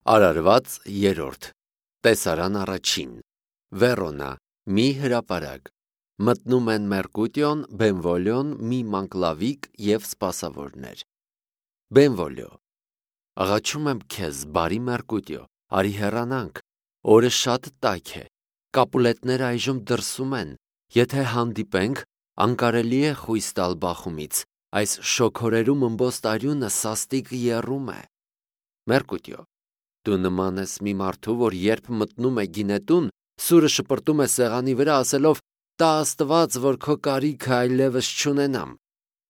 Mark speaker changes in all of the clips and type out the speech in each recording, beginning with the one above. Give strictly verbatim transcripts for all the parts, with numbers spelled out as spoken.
Speaker 1: Արարված երրորդ Տեսարան առաջին Վերոնա մի հրապարակ Մտնում են Մերկուտիոն, Բենվոլիոն, մի մանկլավիկ և սպասավորներ Բենվոլիո Աղաչում եմ քեզ, բարի Մերկուտիո, արի հեռանանք, օրը շատ տաք է, Կապուլետները այժմ դրսում են, եթե հանդիպենք, անկարելի է խույս տալ բախումից, այս շոգորերում ըմբոստ արյունը սաստիկ եռում է Մերկուտիո Դու նման ես մի մարդու, որ երբ մտնում է գինետուն, սուրը շպրտում է սեղանի վրա, ասելով «Տա Աստված, որ քո կարիքը այլևս չունենամ»,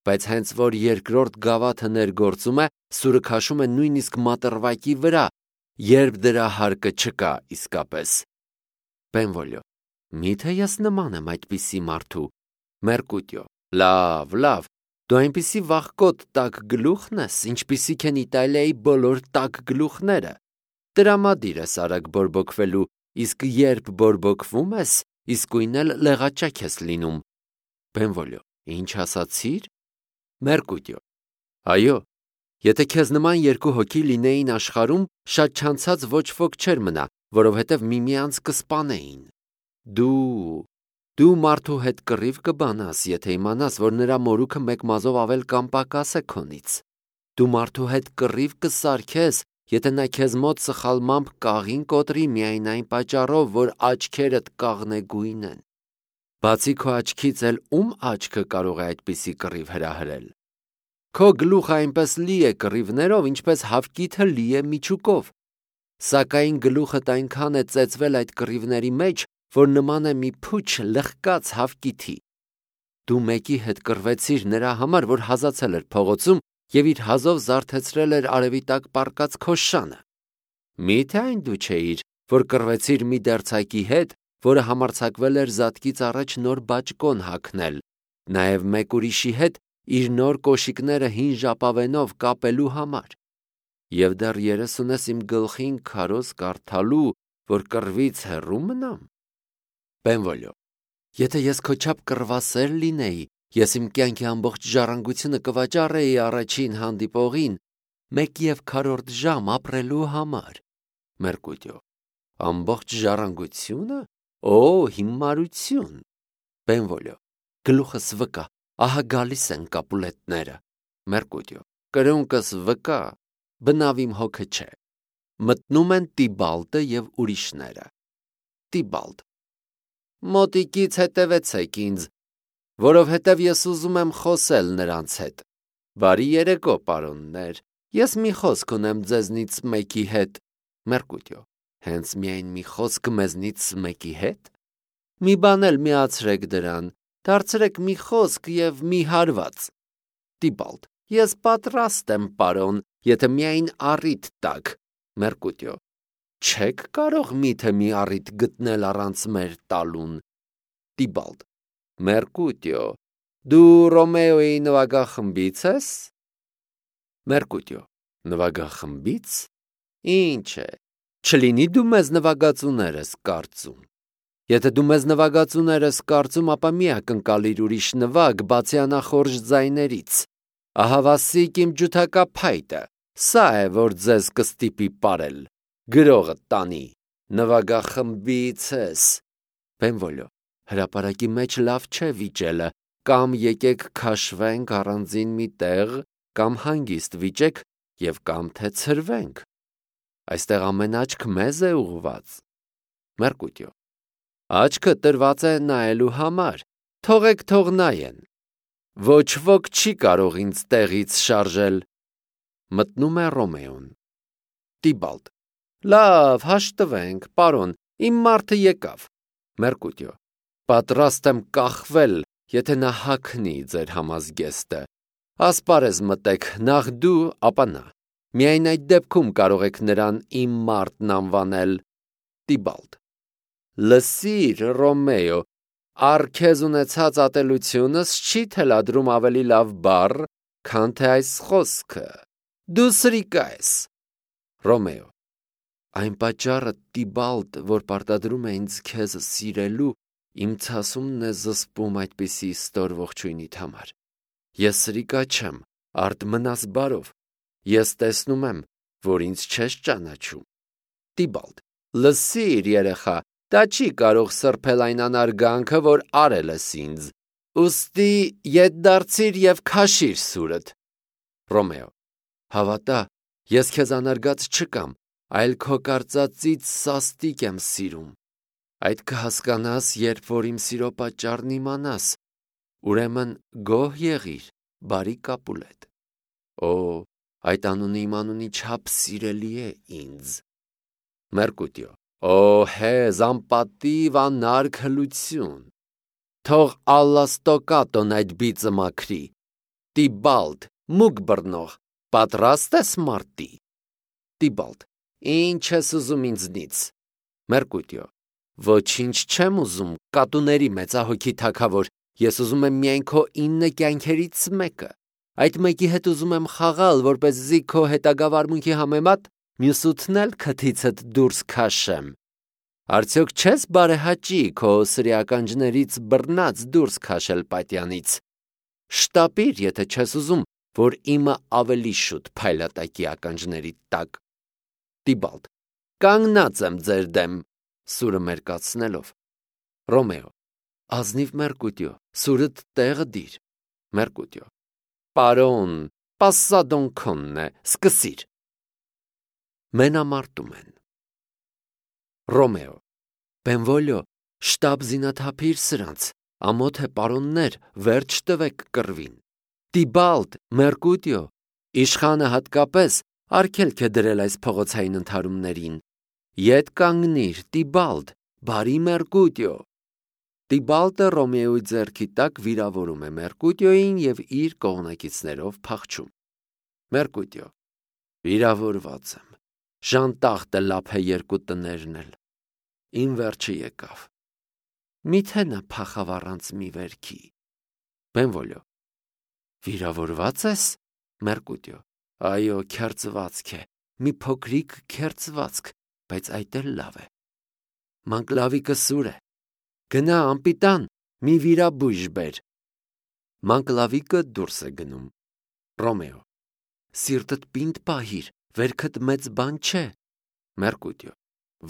Speaker 1: բայց հենց որ երկրորդ գավաթը ներգործում է, սուրը քաշում է նույնիսկ մատրվակի վրա, երբ դրա հարկը չկա իսկապես։ Բենվոլիո Միթե ես նման եմ այդպիսի մարդու։ Մերկուտիո Լավ, լավ, դու այնպիսի վախկոտ տաք գլուխն ես, ինչպիսիք են Իտալիայի բոլոր տաք գլուխները։ Տրամադիր ես արագ բորբոքվելու, իսկ երբ բորբոքվում ես, իսկույն էլ լեղաճակ ես լինում։ Բենվոլիո Ինչ ասացիր։ Մերկուտիո Այո, եթե քեզ նման երկու հոգի լինեին աշխարհում, շատ չանցած ոչ ոք չէր մնա, որովհետև միմյանց կսպանեին։ Դու Դու մարդու հետ կռիվ կբանաս, եթե իմանաս, որ նրա մորուքը մեկ մազով ավել կամ պակաս է քոնից։ Դու մարդու հետ կռիվ կսարքես, եթե նա քեզ մոտ սխալմամբ կաղին կոտրի միայն այն պատճառով, որ աչքերդ կաղնեգույն են։ Բացի քո աչքից էլ ում աչքը կարող է այդպիսի կռիվ հրահրել։ Քո գլուխը այնպես լի է կռիվներով, ինչպես հավկիթը լի է միջուկով։ Սակայն գլուխդ այնքան է ծեծվել այդ կռիվների մեջ, որ նման է մի փուչ լղկած հավկիթի։ Դու մեկի հետ կռվեցիր նրա համար, որ հազացել էր փողոցում և իր հազով զարթեցրել էր արևի տակ պառկած քո շանը։ Մի՞թե այն դու չէիր, որ կռվեցիր մի դերձակի հետ, որը համարձակվել էր զատկից առաջ նոր բաճկոն հագնել, նաև մեկ ուրիշի հետ իր նոր կոշիկները հին ժապավենով կապելու համար։ Եվ դեռ երես ունես իմ գլխին քարոզ կարդալու, որ կռվից հեռու մնամ։ Բենվոլիո Եթե ես քո չափ կռվասեր լինեի, ես իմ կյանքի ամբողջ ժառանգությունը կվաճառեի առաջին հանդիպողին մեկ և քառորդ ժամ ապրելու համար։ Մերկուտիո Ամբողջ ժառանգությո՞ւնը։ Օ, հիմարություն։ Բենվոլիո Գլուխս վկա, ահա գալիս են Կապուլետները։ Մերկուտիո Կրունկս վկա, բնավ իմ հոգը չէ։ Մտնում են Տիբալտը և ուրիշները։ Տիբալտ Մոտիկից հետևեցեք ինձ, որովհետև ես ուզում եմ խոսել նրանց հետ։ Բարի երեկո, պարոններ, ես մի խոսք ունեմ ձեզնից մեկի հետ։ Մերկուտիո Հենց միայն մի խոսք մեզնից մեկի հետ։ Մի բան էլ միացրեք դրան, դարձրեք մի խոսք և մի հարված։ Տիբալտ Ես պատրաստ եմ, պարոն, եթե միայն առիթ տաք։ Մերկուտիո Չեք կարող միթե մի առիթ գտնել առանց մեր տալուն։ Տիբալտ Մերկուտիո Դու Ռոմեոյի նվագախմբի՞ց ես։ Մերկուտիո Նվագախմբի՞ց։ Ինչ է, չլինի դու մեզ նվագածուներ ես կարծում։ Եթե դու մեզ նվագածուներ ես կարծում, ապա մի ակնկալիր ուրիշ նվագ, բացի անախորժ ձայներից։ Ահավասիկ իմ ջութակա փայտը, սա է, որ ձեզ կստիպի պարել։ Գրողը տանի, նվագախմբի՞ց ես։ Բենվոլիո Հրապարակի մեջ լավ չէ վիճելը, կամ եկեք քաշվենք առանձին մի տեղ, կամ հանգիստ վիճեք և կամ թե ցրվենք։ Այստեղ ամեն աչք մեզ է ուղղված։ Մերկուտիո Աչքը տրված է նայելու համար, թողեք թող նայեն։ Ոչ ոք չի կարող ինձ տեղից շարժել։ Մտնում է Ռոմեոն։ Տիբալտ Լավ, հաշտվենք, պարոն, իմ մարդը եկավ։ Մերկուտիո Պատրաստ եմ կախվել, եթե նա հագնի ձեր համազգեստը։ Ասպարեզ մտեք, նախ դու, ապա նա։ Միայն այդ դեպքում կարող եք նրան իմ մարդն անվանել։ Տիբալտ Լսիր, Ռոմեո, առ քեզ ունեցած ատելությունս չի թելադրում ավելի լավ բառ, քան թե այս խոսքը։ Դու սրիկա ես։ Ռոմեո Այն պատճառը, Տիբալտ, որ պարտադրում է ինձ քեզ սիրելու, իմ ցասումն է զսպում այդպիսի ստոր ողջույնիդ համար։ Ես սրիկա չեմ, արդ մնաս բարով։ Ես տեսնում եմ, որ ինձ չես ճանաչում։ Տիբալդ. Լսիր, երեխա, դա չի կարող սրբել այն անարգանքը, որ արել ես ինձ, ուստի ետ դարձիր և քաշիր սուրդ։ Ռոմեո. Հավատա, ես քեզ անարգած չկամ, այլ քո կարծածից սաստիկ եմ սիրում։ Այդ կհասկանաս, երբ որ իմ սիրո պատճառն իմանաս, ուրեմն գոհ եղիր, բարի Կապուլետ։ Օ, այդ անունը իմ անունի չափ սիրելի է ինձ։ Մերկուտիո. Օ, հեզ, անպատիվ, անարգ հլություն։ Թող Ալլաստոկատոն այդ բիծը մաքրի։ Տիբալդ, մուգ բռնող, պատրաստ ես մարտի։ Տիբալդ. Ինչ ես ուզում ինձնից։ Մերկուտիո. Ոչինչ չեմ ուզում, կատուների մեծահոգի թագավոր, ես ուզում եմ միայն քո ինը կյանքերից մեկը։ Այդ մեկի հետ ուզում եմ խաղալ, որպեսզի քո հետագա վարմունքի համեմատ մյուս ութն էլ քթիցդ դուրս քաշեմ։ Արդյոք չես բարեհաճի քո սրիականջներից բռնած դուրս քաշել պատյանից։ Շտապիր, եթե չես ուզում, որ իմը ավելի շուտ փայլատակի ականջների տակ։ Տիբալդ. Կանգնած եմ ձեր դեմ, սուրը մերկացնելով։ Ռոմեո. Ազնիվ Մերկուտիո, սուրդ տեղը դիր։ Մերկուտիո. Պարոն, պասսադոն քոնն է, սկսիր։ Մենամարտում են։ Ռոմեո. Բենվոլիո, շտապ զինաթափիր սրանց, ամոթ է պարոններ, վերջ տվեք կռվին։ Տիբալդ, Մերկուտիո, իշխանը հատկապես արգելք է դրել այս փողոցային ընդհարումներին։ Ետ կանգնիր, Տիբալդ, բարի Մերկուտիո։ Տիբալդը Ռոմեոյի ձեռքի տակ վիրավորում է Մերկուտիոյին և իր կողմնակիցներով փախչում։ Մերկուտիո. Վիրավորված եմ, ժանտախտը լափ է երկու տներն էլ։ Իմ վերջը եկավ։ Միթե նա փախավ առանց մի վերքի։ Բենվոլիո. Վիրավորված ես։ Մերկուտիո. Այո, քերծվածք է, մի փոքրիկ քերծվածք, բայց այդ էլ լավ է։ Մանկլավիկը սուր է։ Գնա անպիտան, մի վիրաբույժ բեր։ Մանկլավիկը դուրս է գնում։ Ռոմեո. Սիրտդ պինդ պահիր, վերքդ մեծ բան չէ։ Մերկուտիո.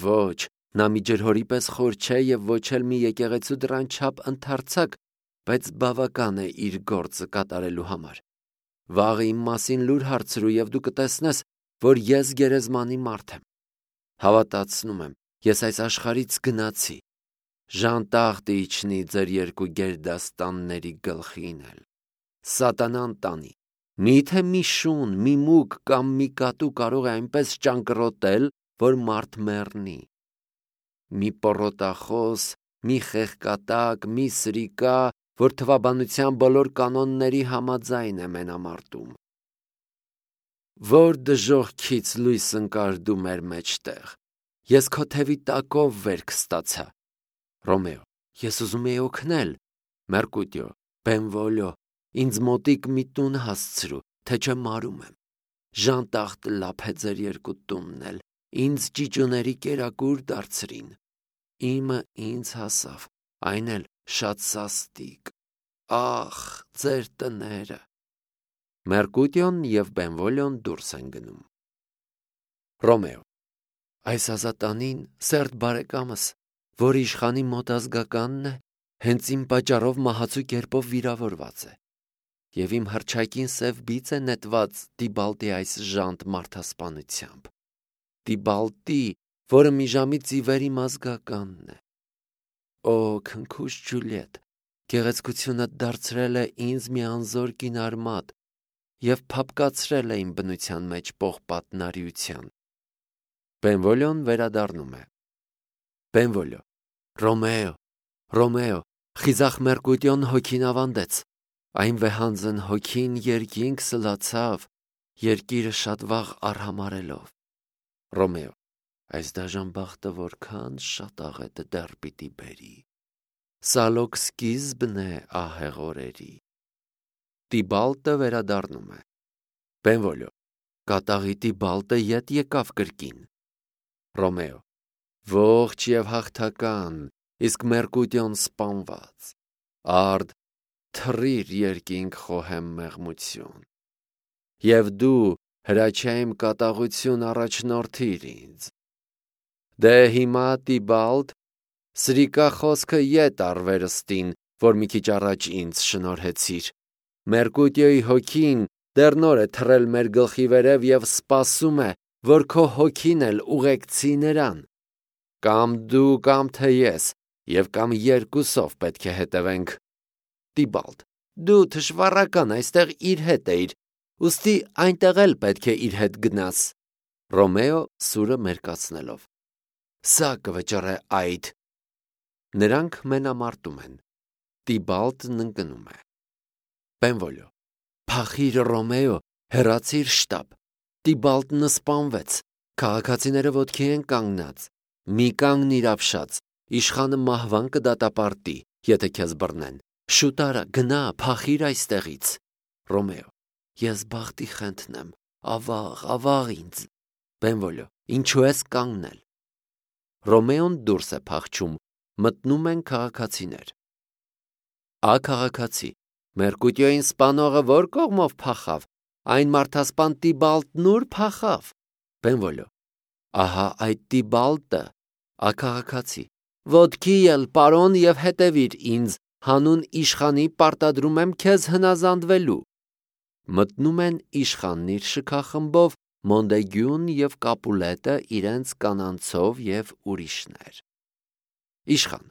Speaker 1: Ոչ, նա մի ջրհորի պես խոր չէ և ոչ էլ մի եկեղեցու դռան չափ ընդարձակ, բայց բավական է իր գործը կատարելու համար։ Վաղը իմ մասին լուր հարցրու և դու կտեսնես, որ ես գերեզմանի մարդ եմ։ Հավատացնում եմ, ես այս աշխարհից գնացի։ Ժանտախտը իջնի ձեր երկու գերդաստանների գլխին էլ։ Սատանան տանի։ Միթե մի շուն, մի մուկ կամ մի կատու կարող է այնպես ճանկռոտել, որ մարդ մեռնի։ Մի պոռոտախոս, մի խեղկատակ, մի սրիկա, որ թվաբանության բոլոր կանոնների համաձայն է մենամարտում։ Որ դժոխքից լույս ընկար դու մեր մեջտեղ։ Ես քո թևի տակով վերք ստացա։ Ռոմեո. Ես ուզում էի օգնել։ Մերկուտիո. Բենվոլիո, ինձ մոտիկ մի տուն հասցրու, թե չէ մարում եմ։ Ժանտախտ լափ է ձեր երկու տունն էլ, ինձ ճիճուների կերակուր դարձրին։ Իմը ինձ հասավ, այն էլ շատ սաստիկ։ Ախ, ձեր տները։ Մերկուտիոն և Բենվոլիոն դուրս են գնում։ Ռոմեո. Այս ազատանին, սերտ բարեկամս, որ իշխանի մոտ ազգականն է, հենց իմ պատճառով մահացու կերպով վիրավորված է, և իմ հռչակին սև բիծ է նետված Տիբալդի այս ժանտ մարդասպանությամբ։ Տիբալդի, որը մի ժամից ի վեր իմ ազգականն է։ Օ, քնքուշ Ջուլիետ, գեղեցկությունդ դարձրել է ինձ մի անզոր կինարմատ և փափկացրել է իմ բնության մեջ պողպատնարիության։ Բենվոլիոն վերադառնում է։ Բենվոլիո. Ռոմեո, Ռոմեո, խիզախ Մերկուտիոն հոգին ավանդեց։ Այն վեհանձն հոգին երկինք սլացավ, երկիրը շատ վաղ արհամարելով։ Ռոմեո. Այս դաժան բախտը որքան շատ աղետը դեռ պիտի բերի։ Սալոք սկիզբն է ահեղ օրերի։ Տիբալդը վերադառնում է։ Բենվոլիո. Կատաղի Տիբալդը ետ եկավ կրկին։ Ռոմեո. Ողջ և հաղթական, իսկ Մերկուտիոն սպանված։ Արդ, թռիր երկինք խոհեմ մեղմություն։ Եվ դու հրաչյա իմ կատաղություն առաջնորդիր ինձ։ Դե հիմա Տիբալդ, սրիկա խոսքը ետ արվերստին, որ մի քիչ առաջ ինձ շնորհեցիր։ Մերկուտիոյի հոգին դեռ նոր է թռել մեր գլխի վերև եւ սպասում է, որ քո հոգին էլ ուղեկցի նրան։ Կամ դու, կամ թե ես, եւ կամ երկուսով պետք է հետևենք։ Տիբալդ, դու թշվառական այստեղ իր հետ էիր, ուստի այնտեղ էլ պետք է իր հետ գնաս։ Ռոմեո սուրը մերկացնելով։ Սա կվճռե այդ։ Նրանք մենամարտում են։ Տիբալդն ընկնում է։ Բենվոլիո, փախիր Ռոմեո, հեռացիր շտապ։ Տիբալդն սպանվեց։ Քաղաքացիները ոտքի են կանգնած։ Մի կանգնիր ապշած, իշխանը մահվան կդատապարտի, եթե քեզ բռնեն։ Շուտ արա, գնա, փախիր այստեղից։ Ռոմեո, ես բախտի խենթնեմ, ավաղ, ավաղ ինձ։ Բենվոլիո, ինչու ես կանգնել։ Ռոմեոն դուրս է փախչում, մտնում են քաղաքացիներ։ Ա քաղաքացի, Մերկուտիոյին սպանողը որ կողմով փախավ, այն մարդասպան Տիբալդն ուր փախավ։ Բենվոլիո, ահա այդ Տիբալդը։ Ա քաղաքացի, ոտքի ել պարոն եւ հետևիր ինձ, հանուն իշխանի պարտադրում եմ քեզ հնազանդվելու։ Մտնում են իշխանն իր շքախմբով, Մոնդեգյուն եւ Կապուլետը իրենց կանանցով եւ ուրիշներ։ Իշխան,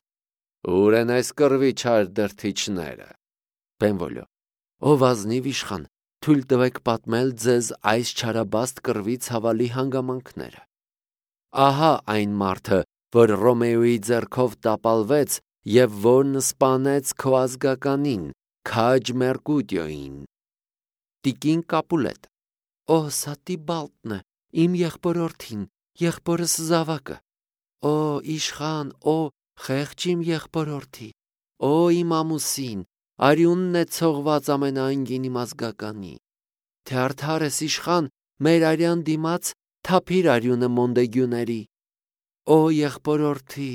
Speaker 1: ուր են այս կռվի չար դրթիչները։ Բենվոլիո, ով ազնիվ իշխան, թույլ տվեք պատմել ձեզ այս չարաբաստ կռվի ցավալի հանգամանքները։ Ահա այն մարդը, որ Ռոմեոյի ձեռքով տապալվեց եւ որն սպանեց քո ազգականին, քաջ Մերկուտիոյին։ Տիկին Կապուլետ, օ, սա Տիբալդն է, իմ եղբորորդին, եղբորս զավակը։ Օ, իշխան, օ, խեղճ իմ եղբորորդի, օ, իմ ամուսին, արյունն է ցողված ամենաանգին իմ ազգականի։ Թե արդար ես իշխան, մեր արյան դիմաց թափիր արյունը Մոնդեգյուների։ Օ, եղբորորդի,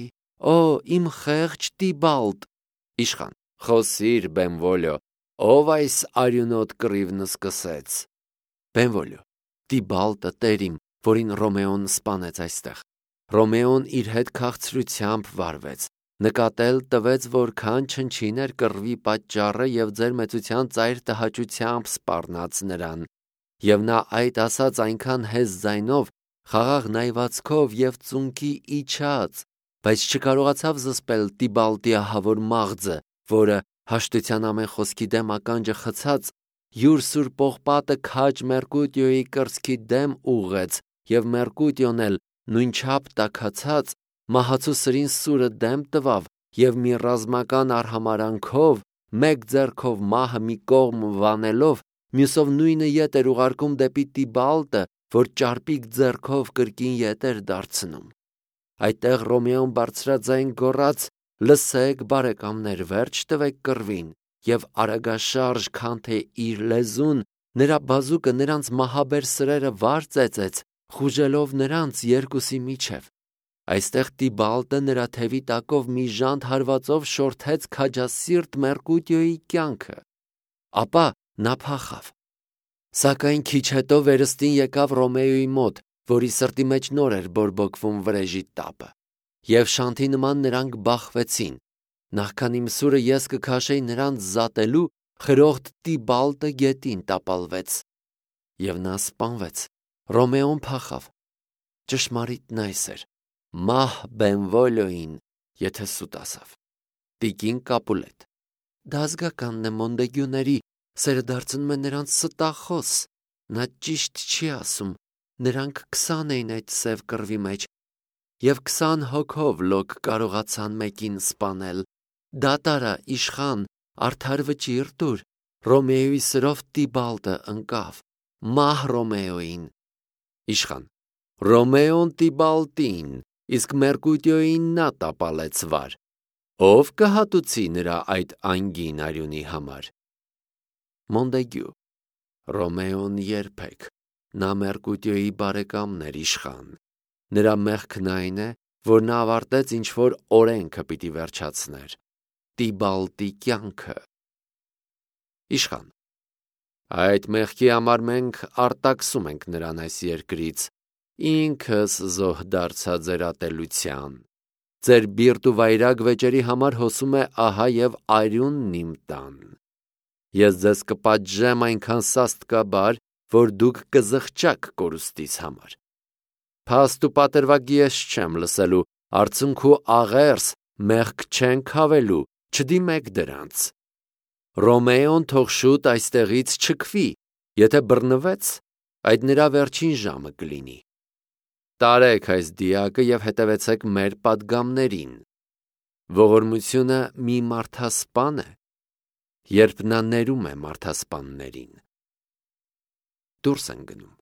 Speaker 1: օ, իմ խեղճ Տիբալդ։ Իշխան, խոսիր, Բենվոլիո, ով այս արյունոտ կռիվն սկսեց։ Բենվոլիո, Տիբալդը տեր իմ, որին Ռոմեոն սպանեց այստեղ։ Ռոմեոն իր հետ քաղցրությամբ վարվեց, նկատել տվեց, որքան չնչին էր կռվի պատճառը եւ ձեր մեծության ծայր տհաճությամբ սպառնաց նրան։ Եվ նա այդ ասաց այնքան հեզ ձայնով, խաղաղ նայվածքով եւ ծունկի իջած, բայց չկարողացավ զսպել Տիբալդի ահավոր մաղձը, որը հաշտության ամեն խոսքի դեմ ականջը խցած, յուր սուր պողպատը քաջ Մերկուտիոյի կրծքի դեմ ուղղեց, եւ Մերկուտիոն էլ նույնչափ տաքացած մահացու սրին սուրը դեմ տվավ եւ մի ռազմական արհամարանքով, մեկ ձեռքով մահը մի կողմ վանելով, մյուսով նույնը ետ էր ուղարկում դեպի Տիբալդը, որ ճարպիկ ձեռքով կրկին ետ էր դարձնում։ Այդտեղ Ռոմեոն բարձրաձայն գոռաց. «Լսեք, բարեկամներ, վերջ տվեք կռվին», եւ արագաշարժ, քան թե իր լեզուն, նրա բազուկը նրանց մահաբեր սրերը վար ծեծեց, խուժելով նրանց երկուսի միջև։ Այստեղ Տիբալդը նրա թևի տակով մի ժանտ հարվածով շորթեց քաջասիրտ Մերկուտիոյի կյանքը։ Ապա նա փախավ։ Սակայն քիչ հետո վերստին եկավ Ռոմեոյի մոտ, որի սրտի մեջ նոր էր բորբոքվում վրեժի տապը։ Եվ շանթի նման նրանք բախվեցին։ Նախքան իմ սուրը ես կքաշեի նրանց զատելու, խրոխտ Տիբալդը գետին տապալվեց։ Եվ նա սպանվեց։ Ռոմեոն փախավ։ Ճշմարիտն այս էր. մահ Բենվոլիոյին, եթե սուտ ասավ։ Տիկին Կապուլետ, դա ազգականն է Մոնդեգյուների, սերը դարձնում է նրանց ստախոս։ Նա ճիշտ չի ասում, նրանք քսան էին այդ սև կռվի մեջ, եւ քսան հոգով լոկ կարողացան մեկին սպանել։ Դատարա, իշխան, արդար վճիռ տուր, Ռոմեոյի սրով Տիբալդը ընկավ, մահ Ռոմեոյին։ Իշխան, Ռոմեոն Տիբալդին, իսկ Մերկուտիոյին նա տապալեց վար։ Ով կհատուցի նրա այդ անգին արյունի համար։ Մոնդեգյու, Ռոմեոն երբեք, նա Մերկուտիոյի բարեկամն էր իշխան։ Նրա մեղքն այն է, որ նա ավարտեց ինչ-որ օրենքը պիտի վերջացներ։ Տիբալդի կյանքը։ Իշխան, այդ մեղքի համար մենք արտաքսում ենք նրան այս երկրից, ինքս զոհ դարձա ձեր ատելության։ Ձեր բիրտ ու վայրագ վեճերի համար հոսում է ահա եւ արյունն իմ տան։ Ես ձեզ կպատժեմ այնքան սաստկաբար, որ դուք կզղջաք կորուստիս համար։ Փաստ ու պատրվակ ես չեմ լսելու, արցունք ու աղերս մեղք չեն քավելու, չդիմեք դրանց։ Ռոմեոն թող շուտ այստեղից չքվի, եթե բռնվեց, այդ նրա վերջին ժամը կլինի։ Տարեք այս դիակը եւ հետևեցեք մեր պատգամներին։ Ողորմությունը մի մարդասպան է, երբ նա ներում է մարդասպաններին։ Դուրս են գնում։